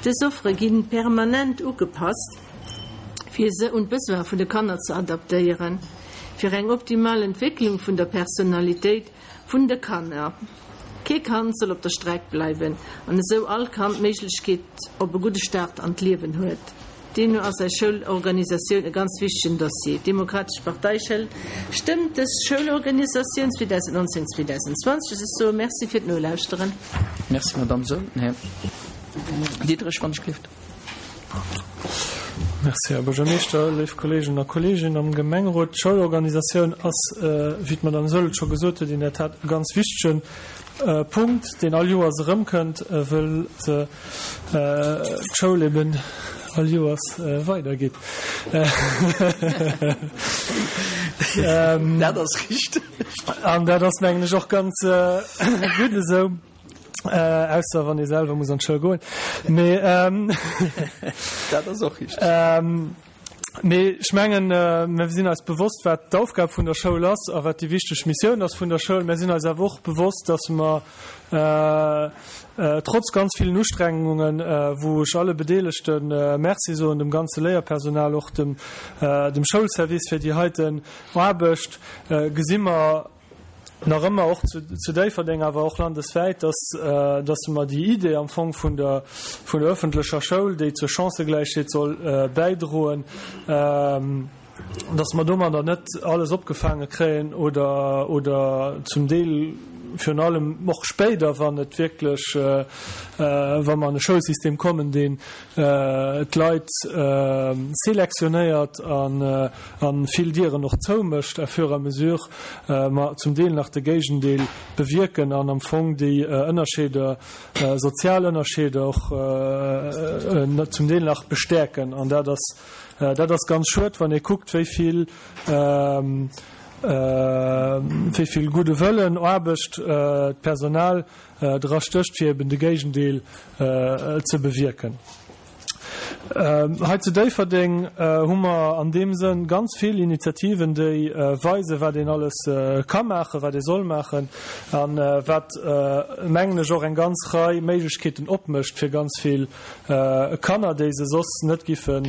Dës Offere ginn permanent ugepasst, fir se un d'Besoin vun de Kanner ze adaptéieren. Fir eng optimal Entwécklung vun der Personalitéit vun de Kanner. Kee Kand soll op der Streck bleiwen an esou all Kand d'Méiglechkeet op e gudde Start an d'Liewen huet. Deemno ass eis Schoulorganisatioun e ganz wichtegen Dossier. D'Demokratesch Partei stëmmt dës Schoulorganisatioun 2019, 2020. Ech soe Merci fir d'Nolauschteren. Merci, Madamm Saeul. Här Diderich, wann ech gelift. Merci, Här Buergermeeschter, léif Kolleegen a Kolleeginnen am Gemengerot. D'Schoulorganisatioun ass, wéi d'Madame Saeul et scho gesot huet, in der Tat e ganz wichtege Punkt, deen all Joers erëmkënnt, wëll se d'Schoul eben all Joers weidergeet. Dat ass richteg. An dat ass, mengen ech, och ganz gutt esou. Äh, ausser wann ee selwer muss an d'Schoul goen. Mee ähm, Dat ass och richteg. Ähm, Mee ech mengen, mir sinn eis bewosst, wat d'Aufgab vun der Schoul ass a wat déi wichteg Missioun ass vun der Schoul. Mir sinn eis awer och bewosst, dass mer trotz ganz villen Ustrengungen, wou ech alle Bedeelegte Merci soen, dem ganze Léierpersonal, och dem Schoulservice fir déi heiten Aarbecht, gesi mer, nach ëmmer och zu Déifferdeng, awer och landeswäit, dass, dass mer déi Idee am Fong vun der, vun der öffentlecher Schoul, déi zur Chancëgläichheet soll bäidroen, dass mer domadder net alles opgefaange kréien oder, oder zum Deel virun allem och spéider, wann et wierklech, wa mer an e Schoulsystem kommen, deen d'Leit selektionéiert a vill Dieren och zoumécht à fur et à mesure mer zum Deel nach de Géigendeel bewierken an am Fong déi Ënnerscheeder, sozial Ënnerscheeder och zum Deel nach bestäerken. An dat ass, dat ass ganz schued, wann ee kuckt, wéi vill, wéi vill gudde Wëllen, Aarbecht d'Personal dra stécht, fir eben de Géigendeel ze bewierken. Hei zu Déifferdeng hu mer an deem Sënn ganz vill Initiativen, déi weisen, wat een alles ka maachen, wat ee soll maachen a wat, mengen ech, och eng ganz Rei Méiglechkeeten opmécht fir ganz vill Kanner, déi se soss net giffe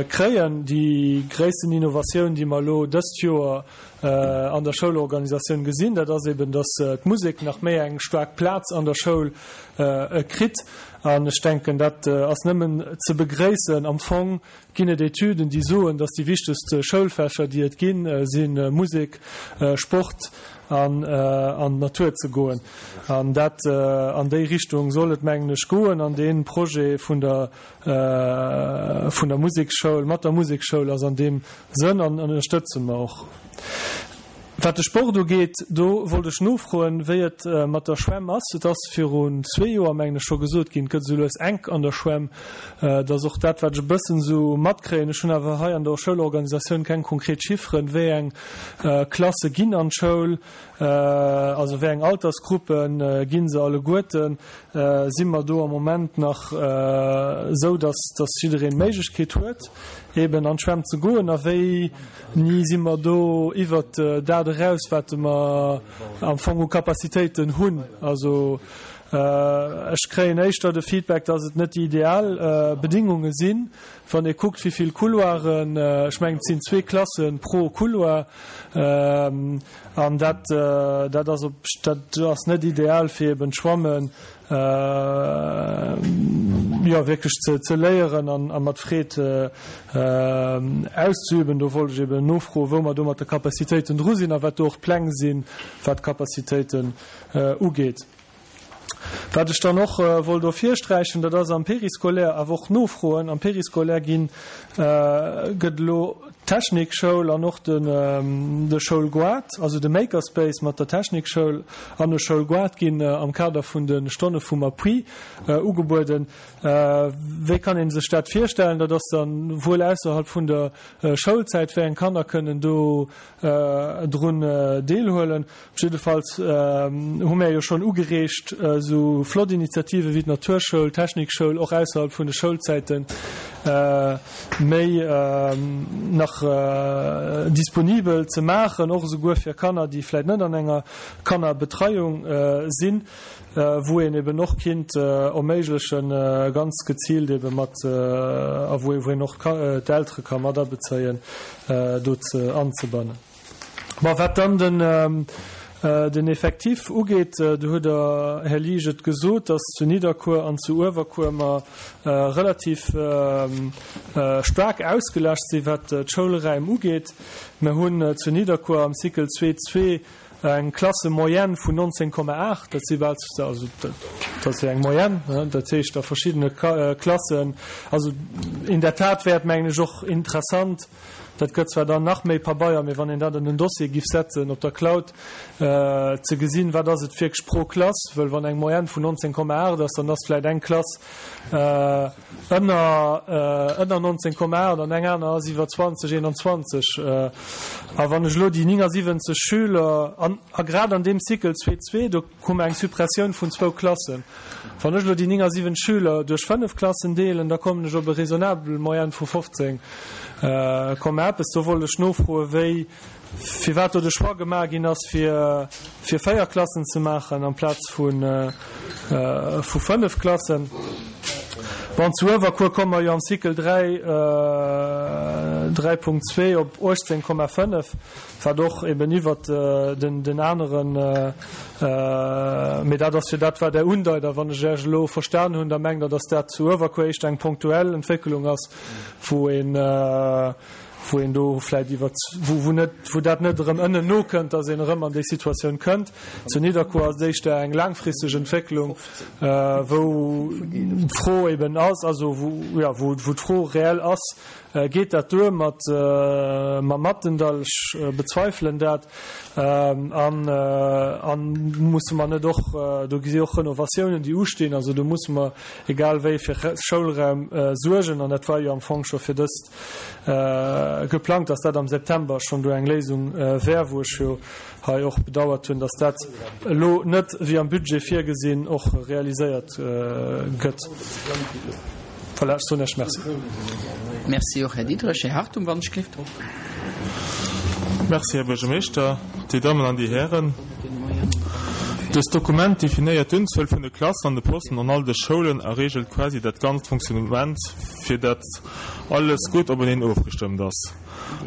kréien. Déi gréissten Innovatioun, déi mer elo dëst Joer an der Schoulorganisatioun gesinn, dat ass eben, dass d'Musek nach méi eng staark Plaz an der Schoul kritt. An ech denken, dat ass nëmmen ze begréissen. Am Fong ginn et Etüden, déi soen, dass déi wichtegst Schoulfächer, déi et ginn, si Musek, Sport an an d'Natur ze goen. An dat, an déi Richtung soll et, mengen ech, goen. An dee Projet vun der vun der Museksschoul, mat der Museksschoul ass an deem Sënn an ënnerstëtze mer och. Wat de Sport ugeet, do wollt ech nofroen, wéi et mat der Schwämm ass. Et ass virun zwee Joer, mengen ech, scho gesot ginn, et gëtt esou lues enk an der Schwämm. Et ass och dat, wat ech e bëssen esou matkréien. Ech hunn awer hei an der Schoulorganisatioun keng konkret Chifferen, wéi eng Klasse ginn an d'Schoul, also wéi eng Altersgruppe gi se alleguerten. Si mer do am Moment nach esou, dass dass jiddereen d'Méiglechkeet huet, eeben an d'Schwämm ze goen? A wéini si mer do iwwert dat eraus, wat mer am Fong u Capacitéiten hunn? Also ech kréien éischter de Feedback, dass et net déi ideal Bedingunge sinn, wann ee kuckt, wéi vill Couloiren, ech mengen, et sinn zwee Klasse pro Couloir, An dat, dat ass op, dat ass net ideal fir eben d'Schwammen, jo, wierklech ze, ze léieren an, a mat Freed auszeüben. Do wollt ech eben nofroen, wou mer do mat de Capacitéiten dru sinn a wat do och d'Pläng sinn, wat d'Capacitéiten ugeet. Wat ech dann och wollt ervirsträichen, dat ass am Périscolaire, awer och nofroen, am Périscolaire ginn, gëtt elo d'Technikschoul an och de Schoulgoart, also de Makerspace mat der Technikschoul an de Schoulgoart ginn am Kader vun de Stonne vum Appui ugebueden. Wéi kann ee sech dat virstellen? Dat ass dann wuel ausserhalb vun der Schoulzäit. Wéi eng Kanner kënnen do drun deelhuelen? Jiddefalls hu mär jo schonn ugereegt, esou flott Initiative wéi d'Naturschoul, d'Technikschoul och ausserhalb vun de Schoulzäite méi nach disponibel ze maachen, och esouguer fir Kanner, déi vläicht net an enger Kannerbetreiung sinn, wou een eben och kinnt erméiglechen, ganz geziilt ebe mat, a wou een och d'Eltere ka mat abezéien, do ze anzebannen. Bon, wat dann den, den Effectif ugeet, do hutt Der, Här Liesch, et gesot, dass zu Nidderkuer an zu Uewerkuer mer relativ staark ausgelascht sinn, wat d'Schoulräim ugeet. Mer hunn zu Nidderkuer am Cycle zwee zwee eng Klassemoyenne vun 19,8, dat si bal, also dat ass jo eng Moyenne, dat heescht a verschiddene Klassen, also in der Tat wär et, mengen ech, och interessant, Dat gëtt zwar dann nach méi Pabeier, mee wann een dat an den Dossier giff setzen op der Cloud, ze gesinn, wat ass et wierklech pro Klass, wëll wann eng Moyenne vun 19,8 ass, dann ass vläit eng Klass ënner ënner 19,8 an eng aner ass iwwer 20, 21. A wann ech elo déi 79 Schüler, an a grad an deem Cycle zwee zwee, do hu mer eng Suppressioun vun zwou Klassen, wann ech elo déi 79 Schüler duerch fënnef Klassen deelen, da kommen ech op e raisonnabel Moyenne vu 15. Komma eppes. Do wollt ech nofroe wéi, firwat do de Choix gemaach ginn ass fir fir 4 Klassen ze maachen amplaz vu vu 5 Klassen. Bon, zu Uewerkuer komme mer jo am Cycle 3, 3.2 op 18,5, wat och eben iwwert den den aneren, mee dat ass jo dat wat Der undeit. A wann ech Iech elo verstan hunn, da mengt Der, datt dat zu Uewerkuer éischter eng ponktuell Entwécklung ass, wou een, wou een do vläicht iwwer, wou, wou net, wou dat net erëm ënnen nokënnt, datt een erëm an déi Situatioun kënnt. Zu Nidderkuer ass et éischter eng laangfristeg Entwécklung, wou d'Fro eben ass, also wou, jo, wou, wou d'Fro reell ass, Geet dat duer mat, mam Mattendall? Ech bezweifelen dat. An, an musse mer net och, do si och Renovatiounen, déi ustinn, also do musse mer egal wéi fir Schoulraum suergen. An dat war jo am Fong scho fir dëst geplangt, dass dat am September schonn do eng Léisung wär, wou ech jo hei och bedauert hunn, dass dat elo net, wéi am Budget virgesinn, och realiséiert gëtt. Voilà, ech soen Iech Merci. Merci och, Här Diderich. Här Hartung, wann ech gleeft. Merci, Här Buergermeeschter, Dir Dammen an Dir Hären. Dëst Dokument definéiert d'Unzuel vun de Klassen an de Posten an all de Schoulen a reegelt quasi dat ganzt Fonctionnement, fir dat alles gutt openeen ofgestëmmt ass.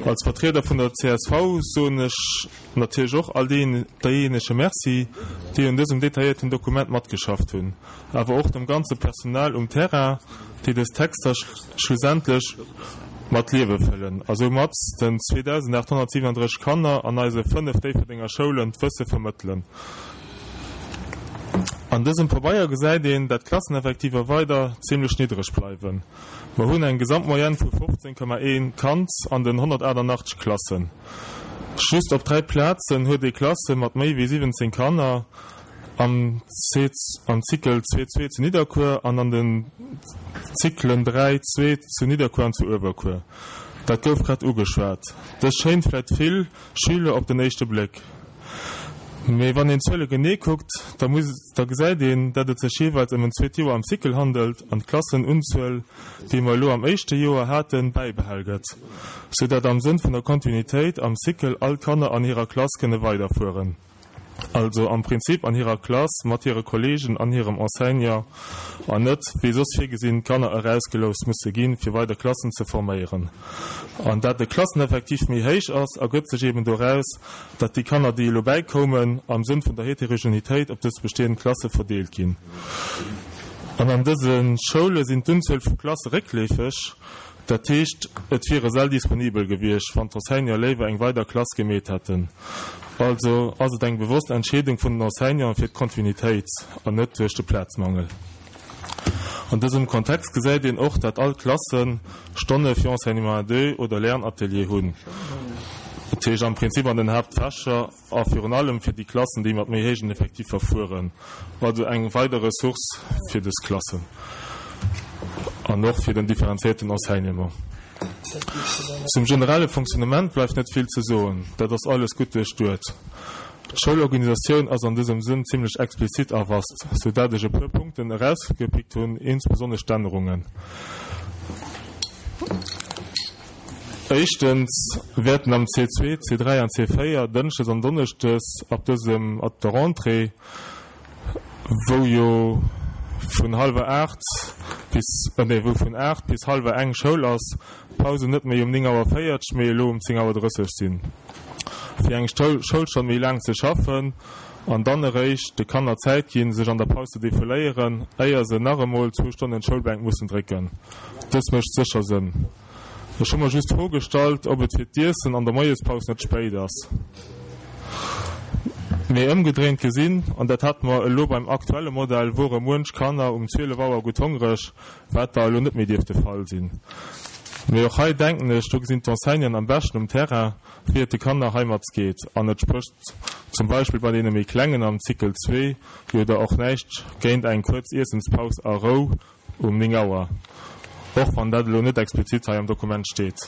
Als Vertrieder vun der csv soen ech natierlech och all deejéinege Merci, déi un dësem detailléierten Dokument matgeschafft hunn, awer och dem ganze Personal um Terrain, déi dës Texter schlussendlech mat Liewe fëllen a soumat den 2.837 Kanner an eise 5 Déifferdenger Schoulen d'Wësse vermëttelen. An dësem Pabeier gesäit een, dat d'Klasseneffektiver weider zimlech niddreg bleiwen. Mer hunn eng Gesamtmoyenne vu 15,1 Kand an den 188 Klassen. Just op 3 Plazen huet ee Klasse mat méi wéi 17 Kanner, am Cycle 2 2 zu Nidderkuer an an den Cyclen 3 2 zu Nidderkuer an zu Uewerkuer. Dat gouf grad ugeschwat. Dës schéint vläit vill Schüler op den éischte Bléck. Mee wann een d'Zuele genee kuckt, da muss, da gesäit een, dat et sech jeeweils ëm en zweet Joer am Cycle handelt an d'Klassenunzuel, déi mer elo am éischte Joer haten, bäibehal gëtt, sou dat am Sënn vun der Kontinuitéit am Cycle all d'Kanner an hirer Klass kënne weiderfueren. Also am Prinzip an hirer Klass mat hire Kollegen an hirem Enseignant an net, wéi soss virgesinn, d'Kanner erausgelouss musse ginn, fir weider Klassen ze forméieren. An dat de Klasseneffektiv méi héich ass, ergëtt sech eben doraus, dat déi Kanner, déi elo bäikoumen, am Sënn vun der Heterogenitéit op dës bestehend Klasse verdeelt ginn. An an dëse Schoule sinn d'Unzuel vu Klasse réckleefeg. Dat heescht, et wiere Säll disponibel gewiescht, wann d'Enseignante léiwer eng weider Klass gemeet hätten. Also ass et eng bewosst Entscheedung vun den Enseignanten fir d'Kontinuitéit an net duerch de Plazmangel. An dësem Kontext gesäit een och, dat all d'Klasse Stonne fir Enseignement à deux oder Lernatelier hunn, dat heescht am Prinzip an den Haaptfächer a virun allem fir déi Klassen, déi mat méi héijen Effektiffer fueren, also eng weider Ressource fir dës Klassen an och fir den differenzierten Enseignement. Zum generelle Fonctionnement bleift net vill ze soen, dat ass alles gutt duerchduet. D'Schoulorganisatioun ass an dësem Sënn zimlech explizit a vast, sou dat ech e puer Punkten erausgepickt hunn, insbesonnesch d'Ännerungen. Éischtens wäerten am C2, C3 an C4 dënschdes an donneschdes ab dësem, ab der Rentrée, wou jo vun hallwer 8 bis, nee, wou vun 8 bis hallwer eng Schoul ass, d'Pausen net méi um 9 Auer 40, mee elo um 10 Auer 30 sinn, fir eng Schoulstonn méi laang ze schaffen an dann eréischt de Kanner Zäit ginn, sech an der Paus ze defouléieren, éier se nach emol zwou Stonnen d'Schoulbänk mussen drécken. Dës mécht sécher Sënn. Ech hu mer just d'Fro gestallt, ob et fir d'Iessen an der Moiespaus net spéit ass. Mee ëmgedréint gesinn, an dat hate mer elo beim aktuelle Modell, wore muench Kanner um 12 Auer gutt hongreg, wat da elo net méi dierft de Fall sinn. Mee och hei denken ech, do gesinn d'Enseignanten am beschten um Terrain, wéi et de Kanner heimat geet. An et sprécht zum Beispill bei deene méi Klengen am Cycle zwee jo da och näischt géint eng kuerz Iessenspaus a Rou Um 9 Auer, och wann dat elo net explizit hei am Dokument steet.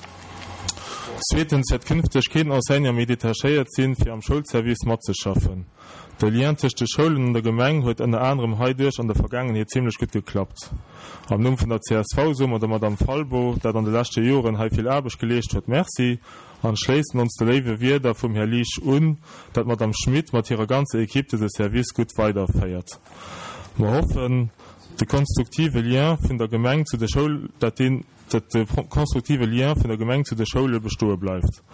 Zweetens wäert künfteg keen Enseignant méi detachéiert sinn, fir am Schoulservice matzeschaffen. De Lien tëscht de Schoulen an der Gemeng huet ënner anerem heiduerch an der Vergaangenheet zimlech gutt geklappt. Am Numm vun der csv soe mer der Madame Falbo, dat an de leschte Joren hei vill Aarbecht geleescht huet, Merci an schléissen ons de léiwe Wierder vum Här Liesch un, dat d'Madame Schmit mat hirer ganzer Equipe dëse Service gutt weiderféiert. Mer hoffen, de konstruktive Lien vun der Gemeng zu de Schoul, dat deen, dat de konstruktive Lien vun der Gemeng zu de Schoule bestoe bleift.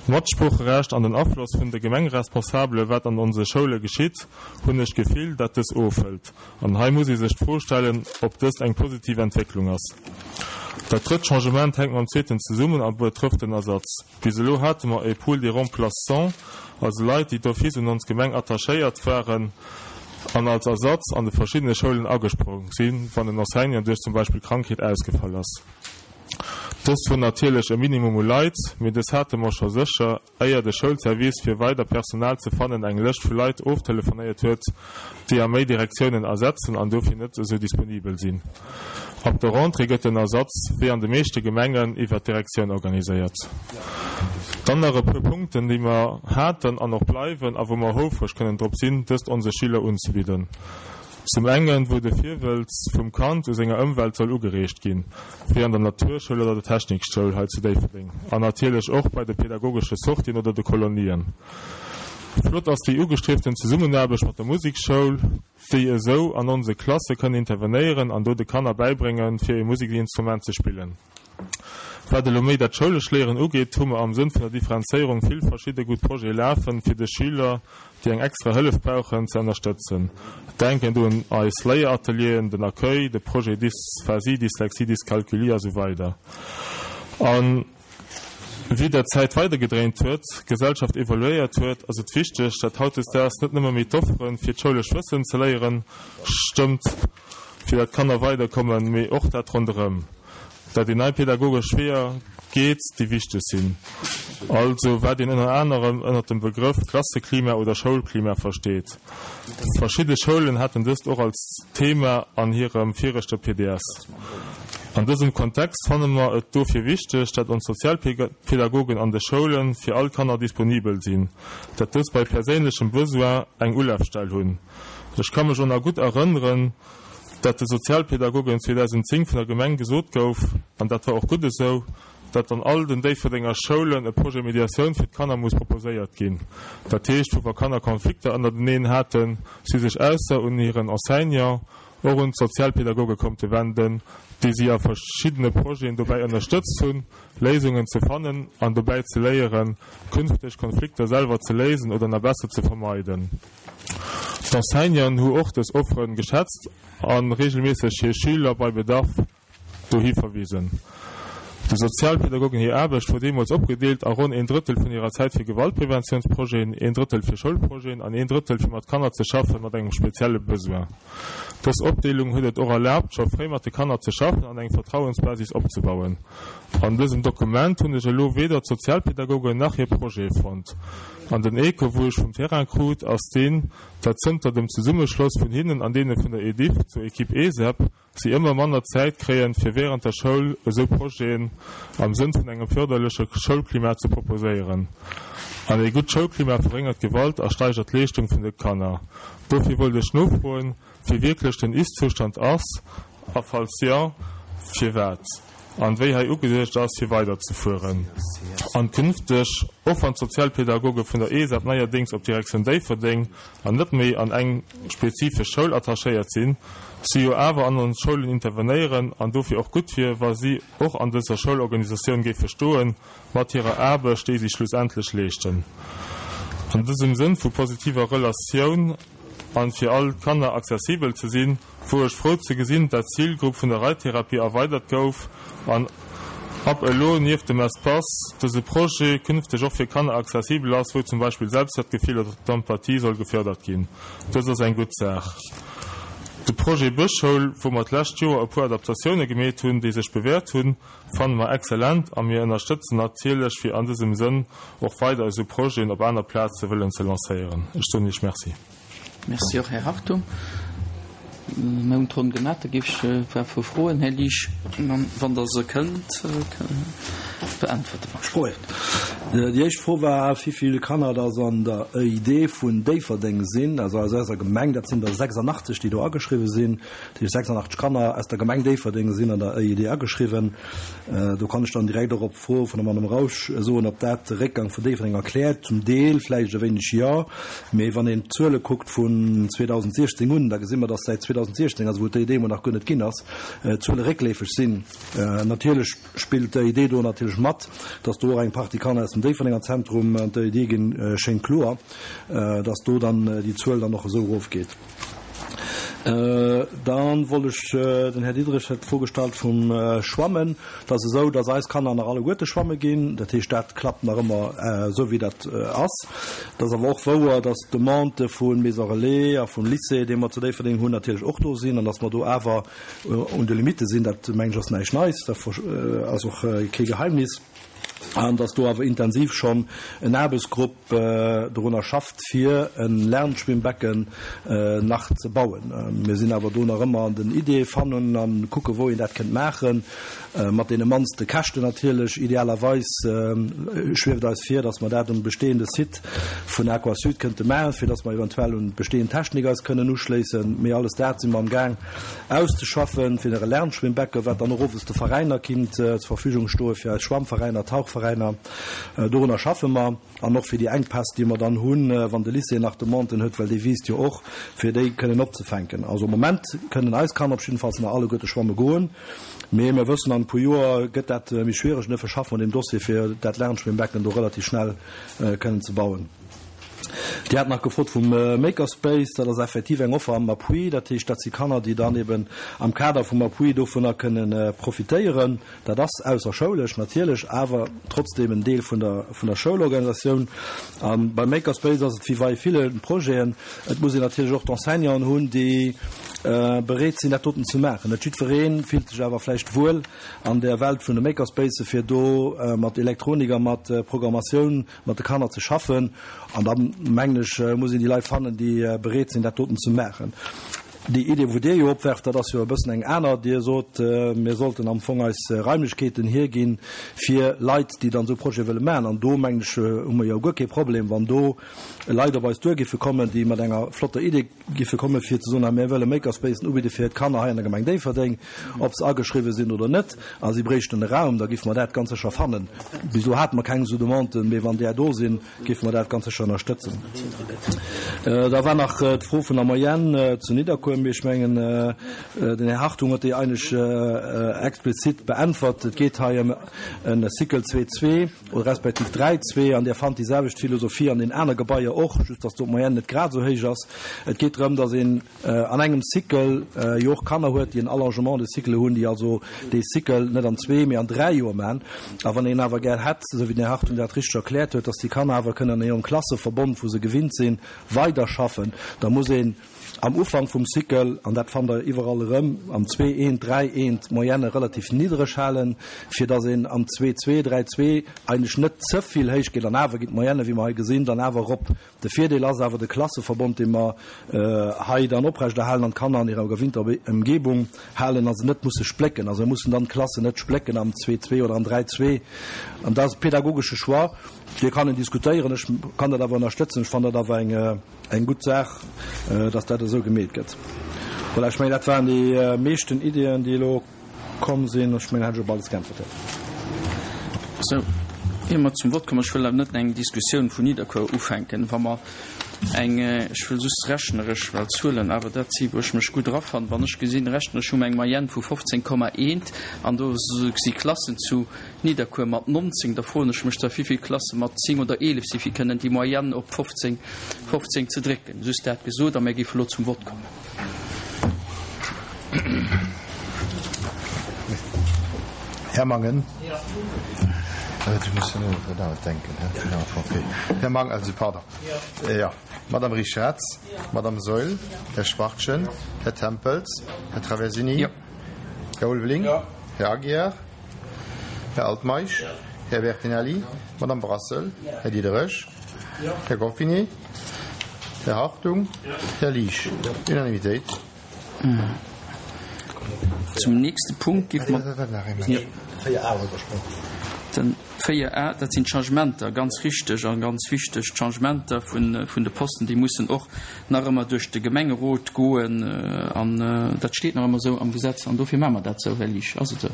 D'Matsproocherecht an den Afloss vun de Gemengeresponsabele wat an onse Schoule geschitt, hunn ech d'Gefill, dat dës ofhëlt. An hei muss ee sech d'Fro stellen, ob dëst eng positiv Entwécklung ass. Dat drëtt Changement hänkt mam zweeten zesummen a betrëfft den Ersatz. Bis elo hate mer e Pool des remplaçants, also Leit, déi d'office un ons Gemeng attachéiert waren an als Ersatz an de verschiddene Schoulen agesprong sinn, wann en Enseignant duerch zum Beispill Krankheet ausgefall ass. Dëst wor natierlech e Minimum u Leit, mee dës hate mer scho sécher, éier de Schoulservice fir weider Personal ze fannen eng Lëscht vu Leit oftelefonéiert huet, déi a méi Direktiounen ersetzen an dofir net esou disponibel sinn. Ab der Rentrée gëtt den Ersatz, wéi an de meeschte Gemengen, iwwer d'Direktioun organiséiert. Dann nach e puer Punkten, déi mer haten an och bleiwen a wou mer houfreg kënnen drop sinn, dëst onse Schüler unzebidden. Zum engen, wou de Virwëlz vum Kand u senger Ëmwelt soll ugereegt ginn, wéi an der Naturschoul oder der Technikschoul hei zu Déifferdeng, an natierlech och bei de pedagogesche Sortien oder de Kolonien. Flott ass déi ugestrieften Zesummenaarbecht mat der Musekschoul, déi esou an onse Klasse kënnen intervenéieren an do de Kanner bäibréngen, fir e Musekinstrument ze spillen. Wat elo méi dat schoulesch Léieren ugeet, hu mer am Sënn vun der Differenzéierung vill verschidde gutt Projete lafen, fir de Schüler, déi eng extra Hëllef brauchen, ze ënnerstëtzen. Denken do un eis Léieratelieren, den Accueil, de Projet Dysphasie, Dyslexie, Dyscalculie a sou weider. A wéi der Zäit weidergedréint huet, d'Gesellschaft evoluéiert huet, ass et wichteg, dat hautdesdaags net nëmme méi d'Offere fir d'schoulesch Wëssen ze léieren stëmmt, fir dat d'Kanner weiderkommen, mee och dat ronderëm, dat een nei pedagogesch Weeër geet, déi wichteg sinn. Also wat een ënner anerem ënner dem Begrëff Klasseklima oder Schoulklima versteet. Verschidde Schoulen haten dëst och als Thema an hirem viregte PDS. An dësem Kontext fanne mer et dofir wichteg, dat ons Sozialpedagogen an de Schoule fir all Kanner disponibel sinn, dat dës bei perséinlechem Besoin eng Ulafstell hunn. Ech ka mech och nach gutt erënneren, dat de Sozialpädagogen 2010 vun der Gemeng gesot gouf, an dat war och gutt esou, dat an all den Déifferdenger Schoulen e Projet Mediatioun fir d'Kanner muss proposéiert ginn. Dat heescht, wou wa Kanner Konflikter ënnerteneen haten, si sech ausser un hiren Enseignant och un d'Sozialpädagoge konnte wenden, déi si a verschiddene Projeten dobäi ënnerstëtzt hunn, Léisungen ze fannen an dobäi ze léieren, künfteg Konflikter selwer ze léisen oder nach besser ze vermeiden. D'Enseignanten hu och dës Offere geschätzt a reegelméisseg hir Schüler bei Bedarf dohi verwisen. De Sozialpädagogen hir Aarbecht wor deemools opgedeelt a ronn een Drëttel vun hirer Zäit fir Gewaltpreventiounsprojeten, een Drëttel fir Schoulprojeten an een Drëttel fir mat Kanner ze schaffen mat engem spezielle Besoin. Dës Opdeelung huet et och erlaabt, scho fréi mat de Kanner ze schaffen an eng Vertrauensbasis opzebauen. An dësem Dokument hunn ech elo weder d'Sozialpädagogen nach hir Projete fonnt. An den Echo wou ech vum Terrain krut ass deen, dat zënter dem Zesummeschloss vun hinnen an deene vun der Ediff zur Equipe ESEP si ëmmer manner Zäit kréien fir während der Schoul esou Projeten am Sënn vun engem förderleche Schoulklima ze proposéieren. An ee gutt Schoulklima verréngert d'Gewalt a steigert d'Leeschtung vun de Kanner. Dofir wollt ech nofroen, wéi wierklech den Ist-Zustand ass a falls jo, firwat an wéi hei ugeduecht ass fir weiderzefueren an künfteg, och wann d'Sozialpädagoge vun der ESAP neierdéngs op d'Direktioun Déifferdeng an net méi an eng spezifesch Schoul attachéiert sinn, si jo awer an ons Schoulen intervenéieren an dofir och gutt wier, wa si och an dëser Schoulorganisatioun géife stoen mat hirer Aarbecht, déi si schlussendlech leeschten. An dësem Sënn vu positiver Relatioun an fir all d'Kanner accessibel ze sinn, wor ech frou ze gesinn, dat d'Zilgrupp vun der Reittherapie erweidert gouf an ab elo nieft dem Espace dëse Projet künfteg och fir Kanner accessibel ass, wou zum Beispill Selbstwertgefill oder d'Empathie soll gefördert ginn. Dëst ass eng gutt Saach. De Projet Bëschschoul, wou mer d'lescht Joer e puer Adaptatioune gemeet hunn, déi sech bewäert hunn, fanne mer excellent a mir ënnerstëtzen natierlech fir an dësem Sënn och weider esou Projeten op aner Plaze wëllen ze lancéieren. Ech soen Iech Merci. Merci och, Här Hartung. Mir hunn d'Ronn gemaach. Da géif ech e puer Froen, Här Liesch, wann Der se kënnt beäntwerte mer. Froen. Déi éischt Fro war, wéi vill Kanner dass an der EID vun Déifferdeng sinn, also aus eiser Gemeng. Dat sinn der 86, déi do ageschriwwen sinn. Dat heescht, 86 Kanner aus der Gemeng Déifferdeng sinn an der EID ageschriwwen. Do kann ech dann direkt och op d'Fro vun der Madame Rausch soen, ob dat de Réckgang vun Déifferdeng erkläert. Zum Deel vläicht e wéineg jo, mee wann een d'Zuele kuckt vun 2016 un, da gesi mer, dass säit 2016, also wou d'EID emol nach guer net ginn ass, d'Zuele réckleefeg sinn. Natierlech spillt d'EID do natierlech mat, dass do och eng Partie Kanner aus dem Déifferdenger Zentrum an d'EID ginn, schéngt kloer, dass do dann déi Zuel dann och esou erofgeet. Dann wollt ech, den Här Diderich huet d'Fro gestallt vum Schwammen. Et ass esou, dass eis Kanner nach alleguerte schwamme ginn. Dat heescht, dat klappt nach ëmmer esou wéi dat ass. Et ass awer och wouer, dass d'Demandë vu Maison Relais a vum Lycée, dee mer zu Déifferdeng hunn, natierlech och do sinn an dass mer do awer un de Limitte sinn. Dat, mengen ech, ass näischt Neis. Dat ass och kee Geheimnis. An dass do awer intensiv schonn en Aarbechtsgrupp dorunner schafft, fir e Lernschwimmbecken nach ze bauen. Mir sinn awer do nach ëmmer an den Ideeë fannen a kucke wou een dat kënnt maachen, mat deene mannste Käschten natierlech. Idealerweis schwieft eis vir, dass mer dat um bestehende Site vun Aquasud kënnte maachen, fir dass mer eventuell un d'bestehend Technik eis kënnen uschléissen. Mee alles dat si mer amgaang auszeschaffen, fir e Lernschwimmbecken, wat dann och owes de Veräiner kinnt zur Verfügung stoen, fir eis Schwammveräiner, Tauchveräiner. Dorunner schaffe mer. An och fir déi Enkpäss, déi mer dann hunn, wann de Lycée nach Demanden huet, well dee wiisst jo och, fir déi kënnen opzefänken. Also am Moment kënnen eis Kanner op jiddefalls nach alleguerte schwamme goen. Mee mir wëssen, an e puer Joer gëtt dat méi schwiereg. An duerfir schaffe mer un deem Dossier, fir dat Lernschwimmbecken do relativ schnell kënnen ze bauen. Dir hat nach gefrot vum Makerspace. Dat ass effektiv eng Offer am Appui. Dat heescht, dat si Kanner, déi dann eben am Kader vum Appui dovunner kënnen profitéieren. Dat ass ausserschoulesch natierlech, awer trotzdeem en Deel vun der vun der Schoulorganisatioun. A beim Makerspace ass et wéi bei ville Projeten, et muss een natierlech och d'Enseignanten hunn, déi bereet sinn, dat doten ze maachen. Net jiddweree fillt sech awer vläicht wuel an där Welt vun de Makerspacen, fir do mat Elektronik a mat Programmatioun mat de Kanner ze schaffen. An da mengen ech, muss een déi Leit fannen, déi bereet sinn, dat doten ze maachen. Déi Idee, wou Dir jo opwerft, dat ass jo e bëssen eng aner. Dir sot, mir sollten am Fong eis Raimlechkeeten hierginn fir Leit, déi dann esou Projete wëlle maachen. An do, mengen ech, hu mer jo guer kee Problem, wann do Leit op eis duer giffe kommen, déi mat enger flotter Idee giffe kommen, fir ze soen, hei mir wëlle Makerspacen ubidde fir d'Kanner hei an der Gemeng Déifferdeng, ob se ageschriwwen sinn oder net, a si bréichten e Raum, da giffe mer dat ganz sécher fannen. Bis elo hate mer keng esou Demanden, mee wann där do sinn, Géife mer dat ganz sécher ënnerstëtzen. Da war nach d'Fro vun der Moyenne zu Nidderkuer. Mee ech mengen, den Här Hartung huet déi eigentlech explizit beäntwert. Et geet hei ëm e Cycle zwee-zwee oder respektiv dräi-zwee. An Dir fannt déi selwecht Philosophie an den aner Gebaier och, just datt do d'Moyenne net grad esou héich ass. Et geet drëm, datt een an engem Cycle jo och Kanner huet, déi en Allongement de cycle hunn, déi also dee Cycle net an zwee, mee an dräi Joer maachen. A wann een awer gär hätt, esou wéi den Här Hartung dat richteg erkläert huet, dass déi Kanner awer kënnen an hirem Klasseverbond, wou se gewinnt sinn, weiderschaffen, da muss een am Ufank vum Cycle, an dat fannt Der iwwerall erëm, am zwee eent, dräi eent d'Moyenne relativ niddereg halen, fir dass een am zwee zwee, dräi zwee eigentlech net ze vill héich geet. An awer ginn d'Moyenne, wéi mer hei gesinn, dann awer erop. De Virdeel ass awer de Klasseverbond, dee mer hei dann oprechterhalen an d'Kanner an hirer gewinnter Emgebung halen a se net musse splécken. Also mir mussen dann d'Klassen net splécken am Zwee-Zwee oder am Dräi-Zwee. An dat ass e pedagogesche Choix, dee kann een diskutéieren. Ech kann dat awer ënnerstëtzen. Ech fannen dat awer eng gutt Saach, dass dat esou gemeet gëtt. Voilà, ech mengen, dat waren déi meeschten Ideeën, déi elo. Komm sinn. Ech mengen, hätt ech op alles geäntwert. Sou, ier mer zum Vott kommen, ech wëll awer net eng Diskussioun vun Nidderkuer ufänken, wa mer eng, ech wëll just rechneresch, well Zuelen awer dat si wou ech mech gutt erafannen, wann ech gesinn, rechneresch hu mer eng Moyenne vu 15,1 an do si Klassen zu Nidderkuer mat 19, da froen ech mech da wéivill Klasse mat 10 oder 11 si fir kënnen déi Moyenne op 15, 15 ze drécken. Just dat gesot a mir géife elo zum Vott kommen. Här Mangen. Här Mangen, also pardon. Jo. Madame Richarz, Madame Saeul, Här Schwachtgen, Här Tempels, Här Traversini, Här Ulveling, Här Aguiar, Här Altmeisch, Här Bertinelli, Madame Brassel, Här Diderich, Här Goffinet, Här Hartung, Här Liesch. Unanimitéit. Zum nächste Punkt géife mer. Den 4 a, dat sinn d'Changementer, ganz richteg a ganz wichteg, d'Changementer vun de Posten, déi mussen och nach ëmmer duerch de Gemengerot goen. An dat steet nach ëmmer esou am Gesetz an dofir maache mer dat esou, Här Liesch. Ass et esou?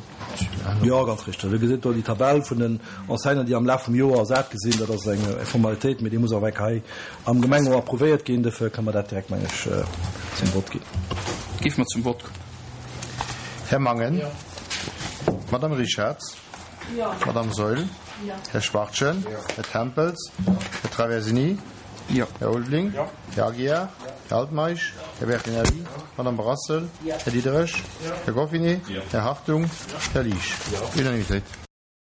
Jo, ganz richteg. Dir gesitt do déi Tabell vun den Enseignanten, déi am Laf vum Joer ersat gi sinn. Dat ass eng Formalitéit, mee déi muss och eng Kéier hei am Gemengerot approuvéiert ginn. Dofir kënne mer dat direkt, meng ech, zum Vott ginn. Géife mer zum Vott kommen. Här Mangen. Madame Richarz. Madame Saeul. Här Schwachtgen. Här Tempels. Här Traversini. Här Ulveling. Här Aguiar. Här Altmeisch. Här Bertinelli. Madame Brassel. Här Diderich. Här Goffinet. Här Hartung. Här Liesch. Unanimitéit.